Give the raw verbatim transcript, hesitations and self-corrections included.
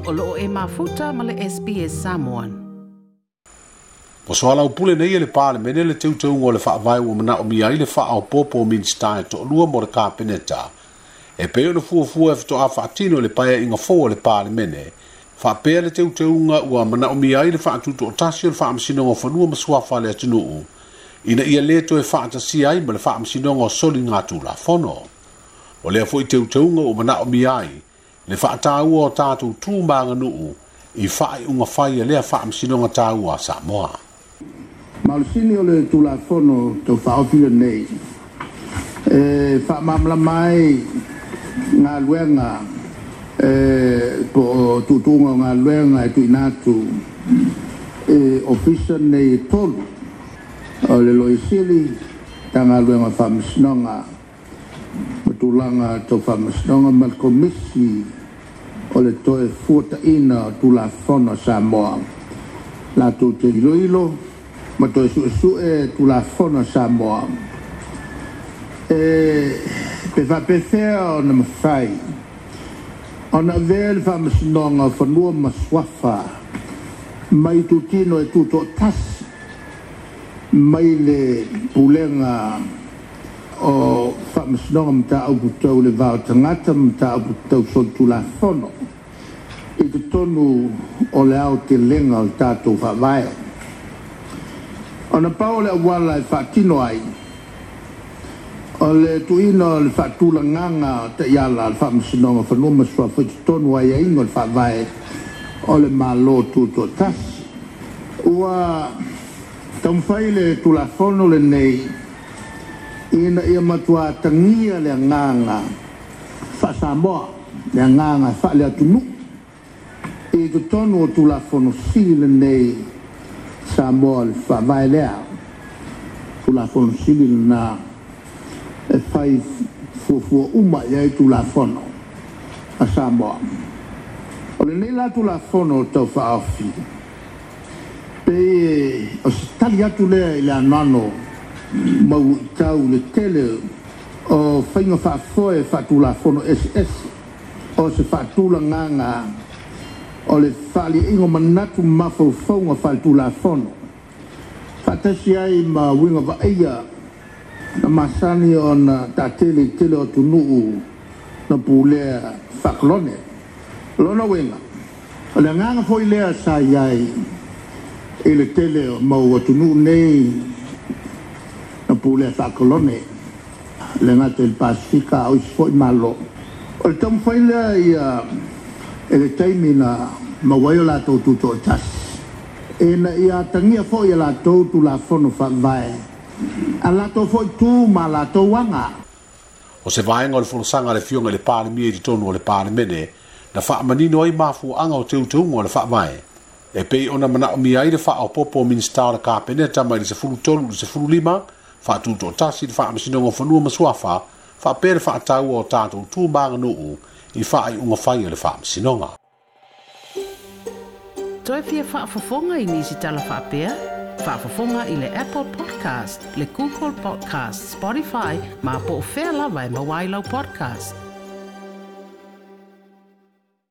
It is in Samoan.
O loo e mafuta ma le S B S Samoan. O soalaupule nei e le Palemene le teuteuga o le faavae ua manaomia ai le faaopoopo o Minisita e toalua mo le Kapeneta. E pei ona fuafua e faatoa faatino le paeaiga fou a le Palemene. Faapea le teuteuga ua manaomia ai le faatutoatasi o le Faamasinoga o Fanua ma Suafa a le atunuu, ina ia le toe faatasia ai ma le Faamasinoga o Soligatulafono. O lea foi teuteuga ua manaomia ai le faataua o tatou tu ma aganuu i faaiuga fai a lea Faamasinoga taua a Samoa. Ma o le sini o le Tulafono tau faaofi lenei e faamalamalama ai galuega e po o tuutuuga o galuega e tuuina atu e ofisa nei e tolu o le Loia Sili, Matagaluega o Faamasinoga ma tulaga tau faamasinoga ma le Komisi o le toe fuataina o Tulafono a Samoa. Latou te iloilo ma toe suesue Tulafono a Samoa e pe faapefea ona mafai ona avea le Faamasinoga o Fanua ma Suafa mai tutino e tutoatasi mai le pulega o Faamasinoga Mataupu Tau le Va o Tagata ma Mataupu Tau Solitulafono i totonu o le aotelega o le tatou faavae. Ona pau o le auala e faatino ai o le tuuina o le faatulagaga o taiala o le Faamasinoga o Fanua ma Suafa i totonu o aiaiga o le faavae o le Malo Tutoatasi. Ua taumafai le Tulafono lenei ina ia matua tagia le agaga faa-Samoa, le agaga faale-atunuu i totonu o Tulafono sili lenei Samoa le faavae lea. Tulafono sili lena e fai fuafua uma i ai Tulafono a Samoa. O lenei la Tulafono tau faaofi, pe o se tali atu lea i le anoano mau tau le tele o faiga faafoe faatulafono eseese o se faatulagaga o le faaliaiga o manatu ma mafaufauga faaletulafono faatasi ai ma uiga vaaia na masani ona taatele i tele o atunuu na pulea faakolone. Lona uiga, o le agaga foi lea sa i ai i le tele o mau atunuu nei na pulea faakolone, le gata i le Pasifika a o isi foi malo. O le taumafai lea ia e le taimi na maua ai o latou tutoatasi, ina ia atagia foi e latou Tulafono faavae a latou foi tu ma latou aga. O se vaega o le folasaga a le Afioga i le Palemia i totonu o le Palemene na faamanino ai mafuaaga o teuteuga o le faavae e pei ona manaomia ai le faaopoopo o Minisita o le Kapeneta mai le sefulu tolu i le sefulu lima faatutoatasi le Faamasinoga o Fanua ma Suafa faapea le faataua o tatou tu ma aganuu i faaiuga fai a le Faamasinoga. Toe fia faafofoga i nisi tala faapea? Faafofoga i le Apple Podcast, le Google Podcast, Spotify, ma po o fea lava e maua ai lau podcast.